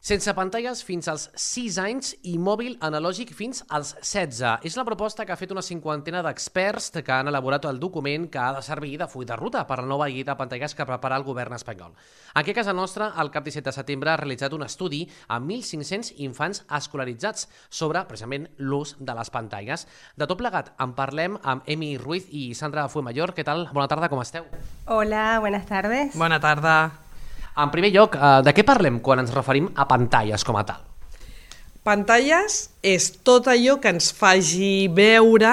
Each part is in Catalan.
Sense pantalles fins als 6 anys i mòbil analògic fins als 16. És la proposta que ha fet una cinquantena d'experts que han elaborat el document que ha de servir de full de ruta per la nova llei de pantalles que prepara el govern espanyol. Aquí a casa nostra, el cap 17 de setembre ha realitzat un estudi amb 1.500 infants escolaritzats sobre, precisament, l'ús de les pantalles. De tot plegat, en parlem amb Emi Ruiz i Sandra Fuemayor. Què tal? Bona tarda, com esteu? Hola, buenas tardes. Bona tarda. En primer lloc, de què parlem quan ens referim a pantalles com a tal? Pantalles és tot allò que ens faci veure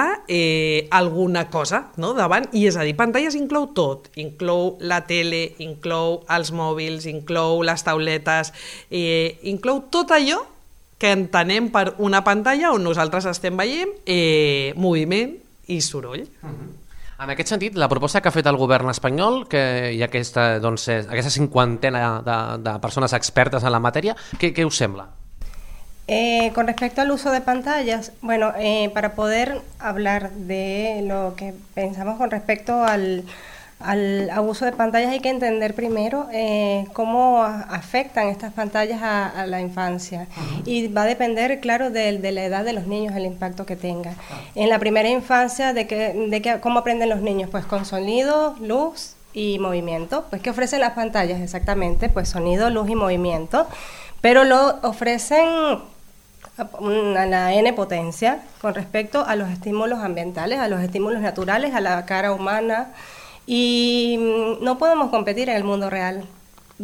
alguna cosa, no, davant, i és a dir, pantalles inclou tot, inclou la tele, inclou els mòbils, inclou les tauletes, inclou tot allò que entenem per una pantalla on nosaltres estem veient moviment i soroll. En aquest sentit, la proposta que ha fet el govern espanyol, que hi ha aquesta cinquantena de persones expertes en la matèria, què us sembla? Con respecto al uso de pantallas, bueno, para poder hablar de lo que pensamos con respecto al abuso de pantallas hay que entender primero cómo afectan estas pantallas a la infancia, y va a depender, claro, de la edad de los niños, el impacto que tenga. En la primera infancia, ¿cómo aprenden los niños? Pues con sonido, luz y movimiento. Pues ¿qué ofrecen las pantallas exactamente? Pues sonido, luz y movimiento, pero lo ofrecen a la N potencia con respecto a los estímulos ambientales, a los estímulos naturales, a la cara humana. Y no podemos competir en el mundo real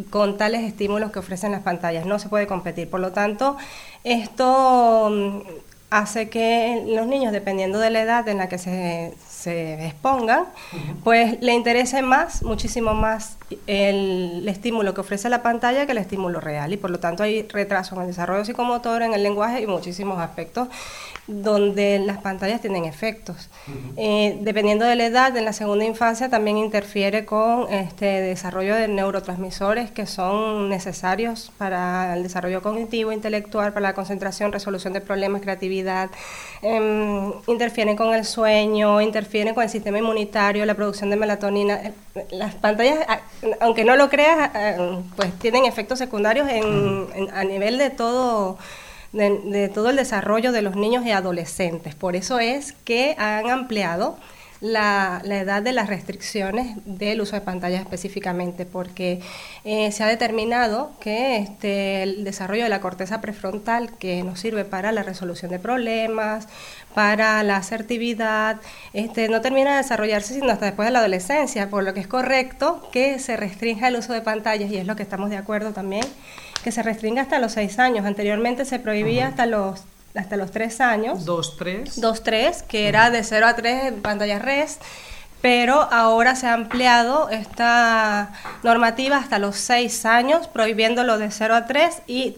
con tales estímulos que ofrecen las pantallas, no se puede competir. Por lo tanto, esto hace que los niños, dependiendo de la edad en la que se expongan, pues le interese muchísimo más el estímulo que ofrece la pantalla que el estímulo real, y por lo tanto hay retraso en el desarrollo psicomotor, en el lenguaje y muchísimos aspectos donde las pantallas tienen efectos. Dependiendo de la edad, en la segunda infancia también interfiere con desarrollo de neurotransmisores que son necesarios para el desarrollo cognitivo, intelectual, para la concentración, resolución de problemas, creatividad, interfieren con el sueño, interfieren con el sistema inmunitario, la producción de melatonina. Las pantallas, aunque no lo creas, pues tienen efectos secundarios a nivel de todo el desarrollo de los niños y adolescentes. Por eso es que han ampliado la edad de las restricciones del uso de pantallas específicamente, porque se ha determinado que el desarrollo de la corteza prefrontal, que nos sirve para la resolución de problemas, para la asertividad, no termina de desarrollarse sino hasta después de la adolescencia, por lo que es correcto que se restrinja el uso de pantallas, y es lo que estamos de acuerdo también, que se restringa hasta los 6 años. Anteriormente se prohibía hasta los 3 años. 2-3, que era de 0 a 3 en pantallas RES, pero ahora se ha ampliado esta normativa hasta los 6 años, prohibiéndolo de 0 a 3 y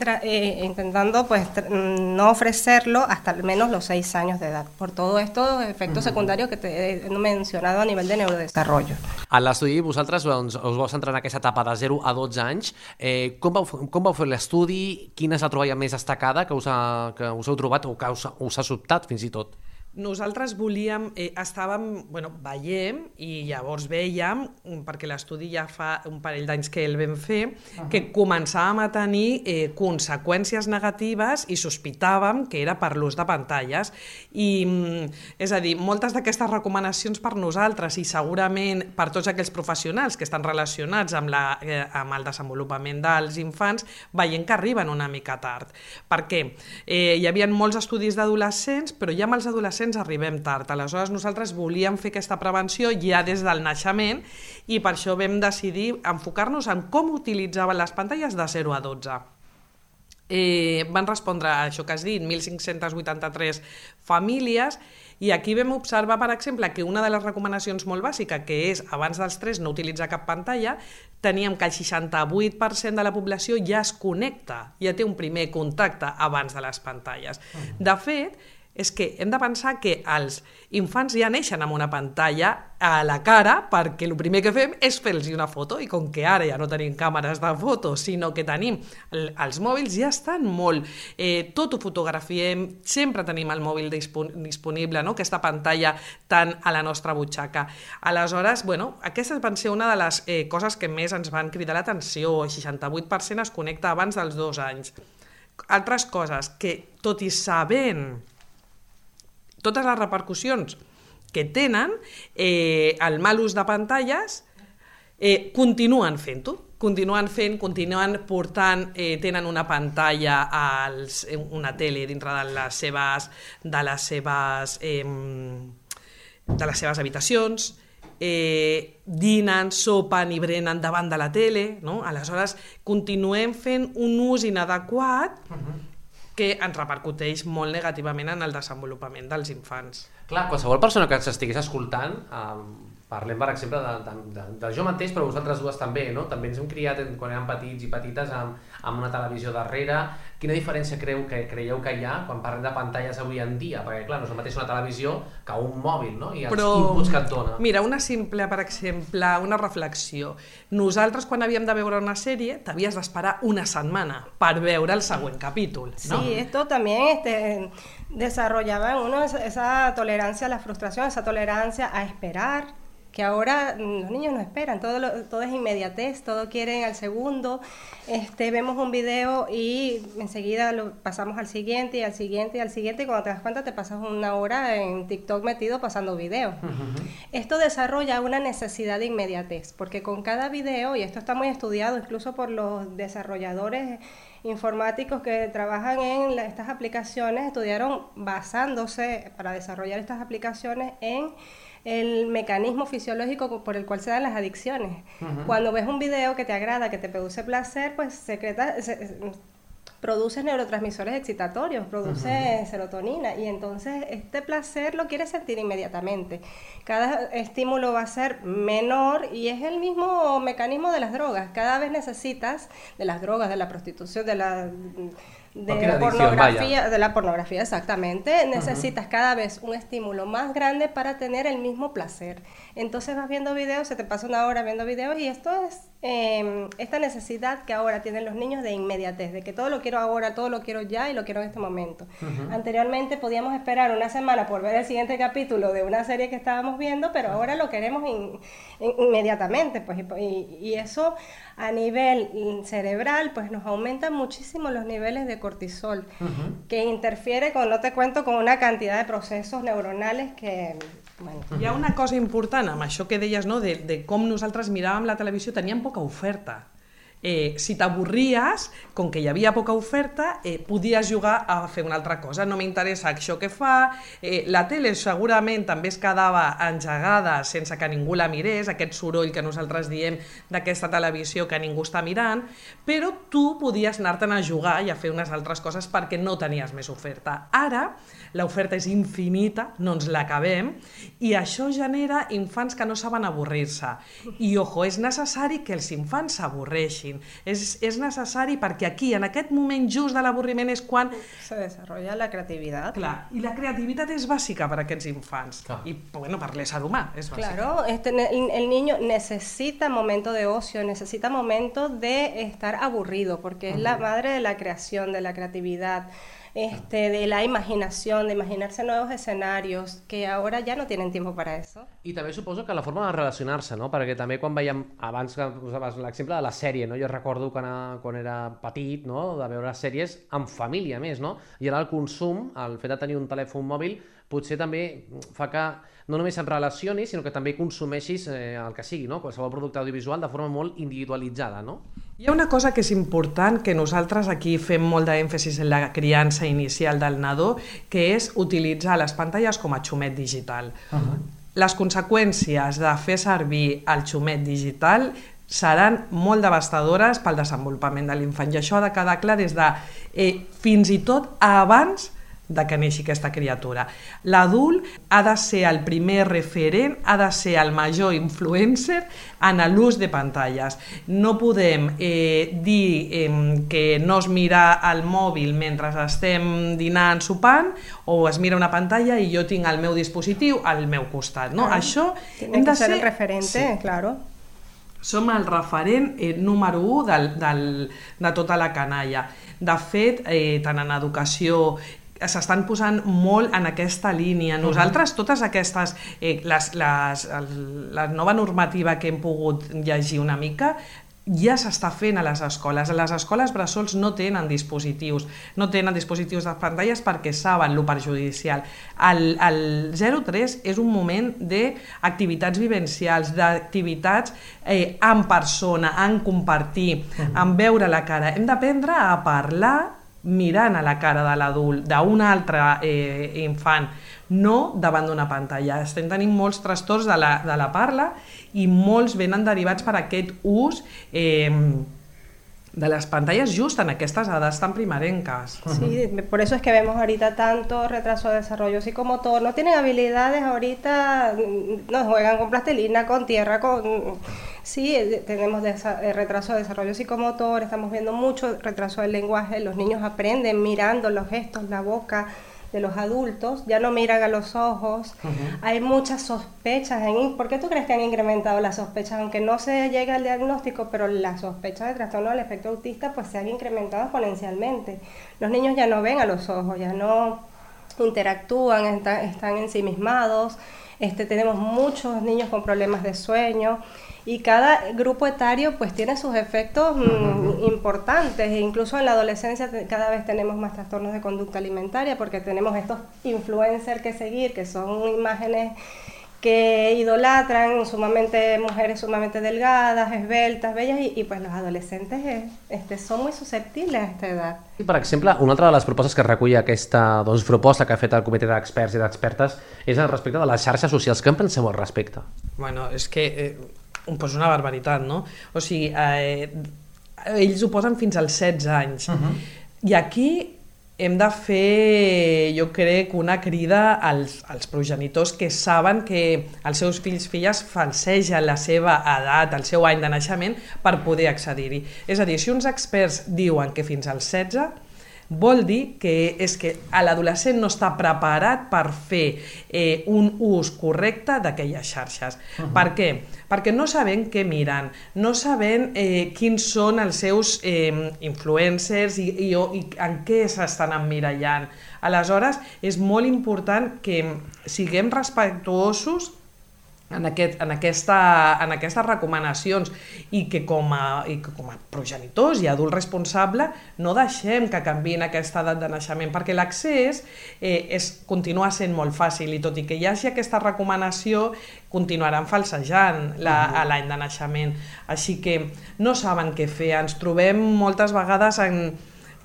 intentando pues no ofrecerlo hasta al menos los 6 años de edad, por todos estos efectos secundarios que te he mencionado a nivel de neurodesarrollo. A l'estudi vosaltres us vau centrar en aquesta etapa de 0 a 12 anys. Com vau fer l'estudi? Quina és la troballa més destacada que us heu trobat o que us ha sobtat fins i tot? Nosaltres veiem i llavors veiem, perquè l'estudi ja fa un parell d'anys que el vam fer, que començàvem a tenir conseqüències negatives i sospitàvem que era per l'ús de pantalles. I, és a dir, moltes d'aquestes recomanacions per nosaltres i segurament per tots aquells professionals que estan relacionats amb el desenvolupament dels infants, veiem que arriben una mica tard. Per què? Hi havia molts estudis d'adolescents, però ja amb els adolescents arribem tard. Aleshores nosaltres volíem fer aquesta prevenció ja des del naixement, i per això vam decidir enfocar-nos en com utilitzaven les pantalles de 0 a 12. Van respondre a això que has dit, 1.583 famílies, i aquí vam observar, per exemple, que una de les recomanacions molt bàsica, que és abans dels 3 no utilitzar cap pantalla, teníem que el 68% de la població ja es connecta, ja té un primer contacte abans de les pantalles. De fet, és que hem de pensar que els infants ja neixen amb una pantalla a la cara, perquè el primer que fem és fer-los una foto, i com que ara ja no tenim càmeres de foto, sinó que tenim els mòbils, ja estan molt, tot ho fotografiem, sempre tenim el mòbil disponible, no? Aquesta pantalla tan a la nostra butxaca. Aleshores, aquestes van ser una de les coses que més ens van cridar l'atenció. El 68% es connecta abans dels 2 anys. altres coses que, tot i sabent totes les repercussions que tenen, el mal ús de pantalles, continuen fent-ho. Continuen portant, tenen una pantalla, una tele dintre de les seves habitacions, dinen, sopen i brenen davant de la tele, no? Aleshores continuem fent un ús inadequat que ens repercuteix molt negativament en el desenvolupament dels infants. Clar, qualsevol persona que s'estigués escoltant, parlem, per exemple, de jo mateix, però vosaltres dues també, no? També ens hem criat quan érem petits i petites amb una televisió darrere. Quina diferència creieu que hi ha quan parlem de pantalles avui en dia? Perquè, clar, no és el mateix una televisió que un mòbil, no? I els inputs que et dona. Mira, una simple, per exemple, una reflexió. Nosaltres, quan havíem de veure una sèrie, t'havies d'esperar una setmana per veure el següent capítol, ¿no? Sí, esto también desarrollaba en uno esa tolerancia a la frustración, esa tolerancia a esperar, que ahora los niños no esperan, todo es inmediatez, todo quieren al segundo. Vemos un video y enseguida lo pasamos al siguiente y al siguiente y al siguiente, y cuando te das cuenta te pasas una hora en TikTok metido pasando videos. Esto desarrolla una necesidad de inmediatez, porque con cada video, y esto está muy estudiado incluso por los desarrolladores informáticos que trabajan en estas aplicaciones, estudiaron basándose para desarrollar estas aplicaciones en el mecanismo fisiológico por el cual se dan las adicciones. Cuando ves un video que te agrada, que te produce placer, pues produce neurotransmisores excitatorios, produce serotonina, y entonces este placer lo quieres sentir inmediatamente. Cada estímulo va a ser menor y es el mismo mecanismo de las drogas. Cada vez necesitas de las drogas, de la prostitución, de la pornografía, exactamente. Necesitas cada vez un estímulo más grande para tener el mismo placer. Entonces vas viendo videos, se te pasa una hora viendo videos, y esto es esta necesidad que ahora tienen los niños de inmediatez, de que todo lo quiero ahora, todo lo quiero ya y lo quiero en este momento. Anteriormente podíamos esperar una semana por ver el siguiente capítulo de una serie que estábamos viendo, pero ahora lo queremos inmediatamente, pues, y eso a nivel cerebral pues nos aumenta muchísimo los niveles de cortisol, que interfiere con, no te cuento, con una cantidad de procesos neuronales que... Bueno. Hi ha una cosa important amb això que deies, no? de com nosaltres miràvem la televisió, teníem poca oferta. Si t'avorries, com que hi havia poca oferta, podies jugar a fer una altra cosa. No m'interessa això que fa. La tele segurament també es quedava engegada sense que ningú la mirés, aquest soroll que nosaltres diem d'aquesta televisió que ningú està mirant, però tu podies anar-te'n a jugar i a fer unes altres coses perquè no tenies més oferta. Ara l'oferta és infinita, no ens l'acabem, i això genera infants que no saben avorrir-se. I, ojo, és necessari que els infants s'avorreixin. És necessari perquè aquí, en aquest moment just de l'avorriment, és quan se desarrolla la creativitat. Clar, i la creativitat és bàsica per a aquests infants. I, bueno, per l'ésser humà és bàsica. Claro, el niño necesita momento de ocio, necesita momento de estar aburrido, porque es la madre de la creación, de la creatividad, de la imaginación, de imaginarse nuevos escenarios, que ahora ya no tienen tiempo para eso. I també suposo que la forma de relacionar-se, no? Perquè també quan veiem, abans que posaves l'exemple de la sèrie, no? Jo recordo quan era petit, no? De veure sèries en família més, no? I ara el consum, el fet de tenir un telèfon mòbil, potser també fa que no només et relacionis, sinó que també consumeixis el que sigui, no? Qualsevol producte audiovisual de forma molt individualitzada, no? Hi ha una cosa que és important, que nosaltres aquí fem molt d'èmfasis en la criança inicial del nadó, que és utilitzar les pantalles com a xumet digital. Les conseqüències de fer servir el xumet digital seran molt devastadores pel desenvolupament de l'infant, i això ha de quedar clar des de fins i tot abans de que neixi aquesta criatura. L'adult ha de ser el primer referent, ha de ser el major influencer en l'ús de pantalles. No podem dir que no es mira el mòbil mentre estem dinant, sopant, o es mira una pantalla i jo tinc el meu dispositiu al meu costat. No? Això hem de ser el referente, claro. Som el referent número 1 de tota la canalla. De fet, tant en educació, s'estan posant molt en aquesta línia. Nosaltres, totes aquestes, la nova normativa que hem pogut llegir una mica, ja s'està fent a les escoles. Les escoles bressols no tenen dispositius de pantalles perquè saben lo perjudicial. El 0-3 és un moment d'activitats vivencials, d'activitats en persona, en compartir, en veure la cara. Hem d'aprendre a parlar mirant a la cara de l'adult, d'un altre infant, no davant d'una pantalla. Estem tenint molts trastorns de la parla i molts venen derivats per aquest ús de las pantallas justo en estas edades tan primerenques. Sí, por eso es que vemos ahorita tanto retraso de desarrollo psicomotor. No tienen habilidades ahorita, no juegan con plastilina, con tierra, Sí, tenemos retraso de desarrollo psicomotor, estamos viendo mucho retraso del lenguaje. Los niños aprenden mirando los gestos, la boca de los adultos, ya no miran a los ojos. Hay muchas sospechas. ¿Por qué tú crees que han incrementado las sospechas? Aunque no se llegue al diagnóstico, pero las sospechas de trastorno del espectro autista pues se han incrementado exponencialmente. Los niños ya no ven a los ojos, ya no interactúan, están ensimismados. Tenemos muchos niños con problemas de sueño y cada grupo etario pues tiene sus efectos importantes. Incluso en la adolescencia cada vez tenemos más trastornos de conducta alimentaria porque tenemos estos influencers que seguir, que son imágenes que idolatran, mujeres sumamente delgadas, esbeltas, bellas, y pues los adolescentes son muy susceptibles a esta edad. I, per exemple, una altra de les propostes que recull aquesta proposta que ha fet el Comitè d'Experts i d'Expertes és respecte de les xarxes socials. Què en penseu al respecte? Bueno, és que pues una barbaritat, no? O sigui, ells ho posen fins als 16 anys. I aquí hem de fer, jo crec, una crida als progenitors que saben que els seus fills i filles falsegen la seva edat, el seu any de naixement, per poder accedir-hi. És a dir, si uns experts diuen que fins als 16, vol dir que l'adolescent no està preparat per fer un ús correcte d'aquelles xarxes. Per què? Perquè no sabem què miren, no sabem quins són els seus influencers i en què s'estan emmirallant. Aleshores, és molt important que siguem respectuosos en aquestes recomanacions i que com a progenitors i adult responsable no deixem que canviïn aquesta edat de naixement, perquè l'accés continua sent molt fàcil i tot i que hi hagi aquesta recomanació continuaran falsejant l'any de naixement, així que no saben què fer. Ens trobem moltes vegades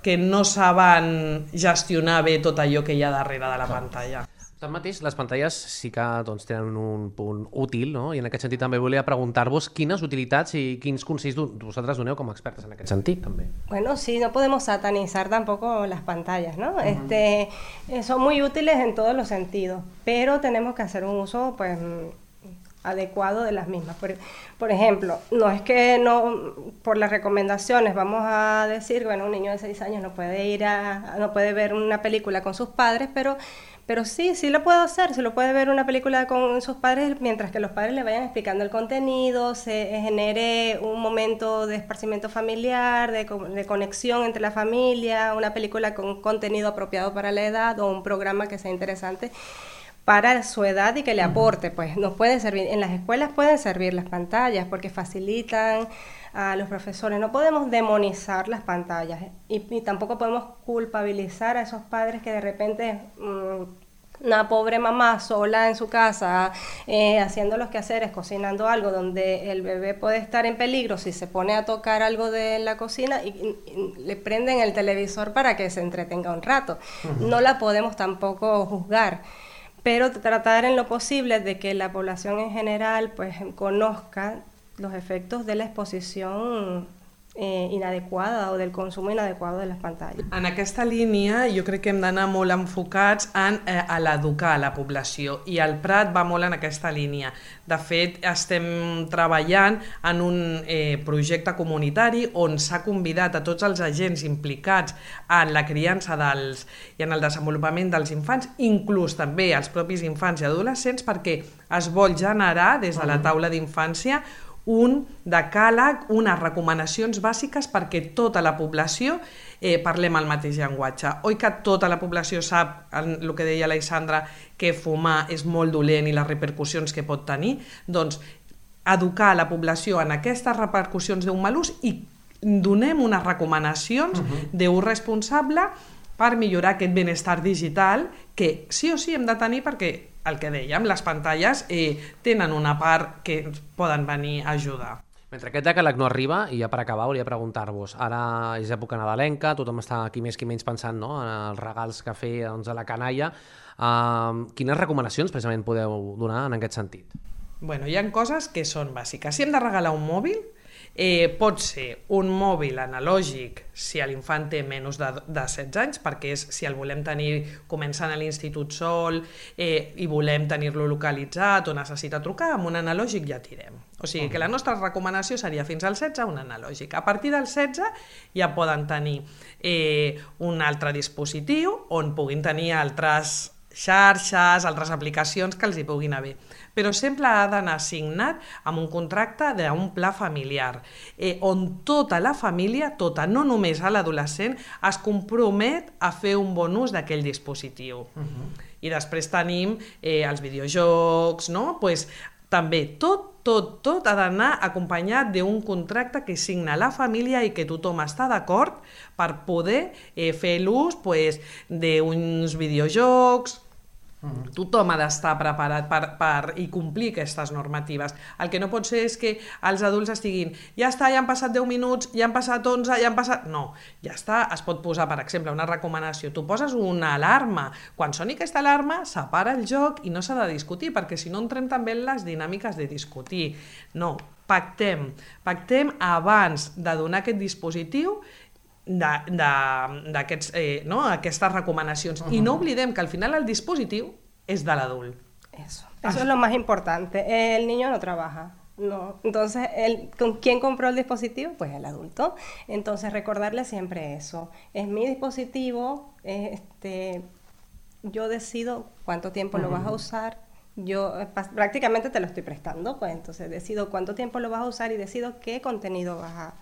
que no saben gestionar bé tot allò que hi ha darrere de la pantalla. Tanmateix, les pantalles sí que tenen un punt útil, no? I en aquest sentit també volia preguntar-vos quines utilitats i quins consells vosaltres doneu com a expertes en aquest sentit, també. Bueno, sí, no podemos satanizar tampoco las pantallas, ¿no? Son muy útiles en todos los sentidos, pero tenemos que hacer un uso, pues, adecuado de las mismas. Por ejemplo, no es que por las recomendaciones vamos a decir, bueno, un niño de 6 años no puede ver una película con sus padres, pero sí lo puede hacer, se lo puede ver una película con sus padres mientras que los padres le vayan explicando el contenido, se genere un momento de esparcimiento familiar, de conexión entre la familia, una película con contenido apropiado para la edad o un programa que sea interesante para su edad y que le aporte. Pues nos puede servir, en las escuelas pueden servir las pantallas porque facilitan a los profesores. No podemos demonizar las pantallas y tampoco podemos culpabilizar a esos padres que de repente una pobre mamá sola en su casa haciendo los quehaceres, cocinando algo donde el bebé puede estar en peligro si se pone a tocar algo de la cocina y le prenden el televisor para que se entretenga un rato. No la podemos tampoco juzgar, pero tratar en lo posible de que la población en general pues conozca los efectos de la exposición inadequada o del consumo inadecuado de les pantalles. En aquesta línia jo crec que hem d'anar molt enfocats a l'educar a la població i el Prat va molt en aquesta línia. De fet, estem treballant en un projecte comunitari on s'ha convidat a tots els agents implicats en la criança i en el desenvolupament dels infants, inclús també els propis infants i adolescents, perquè es vol generar des de la taula d'infància un decàleg, unes recomanacions bàsiques perquè tota la població parlem el mateix llenguatge. Oi que tota la població sap, el que deia l'Alexandra, que fumar és molt dolent i les repercussions que pot tenir? Doncs educar la població en aquestes repercussions d'un mal ús i donem unes recomanacions d'ús responsable per millorar aquest benestar digital que sí o sí hem de tenir perquè, el que dèiem, les pantalles tenen una part que ens poden venir a ajudar. Mentre aquest decàleg no arriba, i ja per acabar volia preguntar-vos, ara és època nadalenca, tothom està aquí més que menys pensant en els regals que fer a la canalla. Quines recomanacions precisament podeu donar en aquest sentit? Bueno, hi ha coses que són bàsiques. Si hem de regalar un mòbil, pot ser un mòbil analògic si l'infant té menys de 16 anys, perquè si el volem tenir començant a l'institut sol i volem tenir-lo localitzat o necessita trucar, amb un analògic ja tirem. O sigui que la nostra recomanació seria fins al 16 un analògic. A partir del 16 ja poden tenir un altre dispositiu on puguin tenir altres xarxes, altres aplicacions que els hi puguin haver. Però sempre ha d'anar signat amb un contracte d'un pla familiar, on tota la família, tota, no només l'adolescent, es compromet a fer un bon ús d'aquell dispositiu. I després tenim els videojocs, no? Pues, també tot ha d'anar acompanyat d'un contracte que signa la família i que tothom està d'acord per poder fer l'ús d'uns videojocs. Tothom ha d'estar preparat i complir aquestes normatives. El que no pot ser és que els adults estiguin ja està, ja han passat 10 minuts, ja han passat 11, ja han passat... No, ja està, es pot posar, per exemple, una recomanació. Tu poses una alarma. Quan soni aquesta alarma, s'apara el joc i no s'ha de discutir, perquè si no entrem també en les dinàmiques de discutir. No, pactem abans de donar aquest dispositiu aquestes recomanacions. Y no oblidem que al final el dispositivo es de l'adult. Eso es lo más importante. El niño no trabaja. No. Entonces, ¿quién compró el dispositivo? Pues el adulto. Entonces, recordarle siempre eso. Es mi dispositivo, yo decido cuánto tiempo lo vas a usar. Yo prácticamente te lo estoy prestando, pues entonces decido cuánto tiempo lo vas a usar y decido qué contenido vas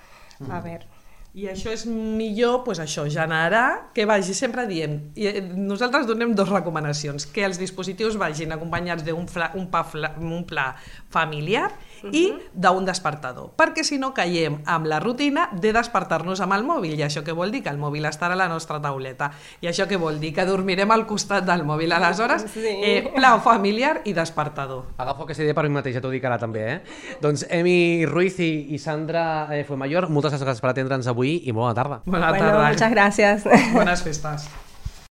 a ver. I això és millor, doncs això, generar que vagi, sempre diem, i nosaltres donem dues recomanacions, que els dispositius vagin acompanyats d'un pla familiar i d'un despertador, perquè si no caiem amb la rutina de despertar-nos amb el mòbil, i això què vol dir? Que el mòbil estarà a la nostra tauleta, i això què vol dir? Que dormirem al costat del mòbil. Aleshores, pla familiar i despertador. Agafo aquesta idea per mi mateix, ja t'ho dic ara també, Doncs Emi Ruiz i Sandra Fuenmayor, moltes gràcies per atendre'ns avui i bona tarda. Bona tarda. Bueno, muchas gracias. Buenas festas.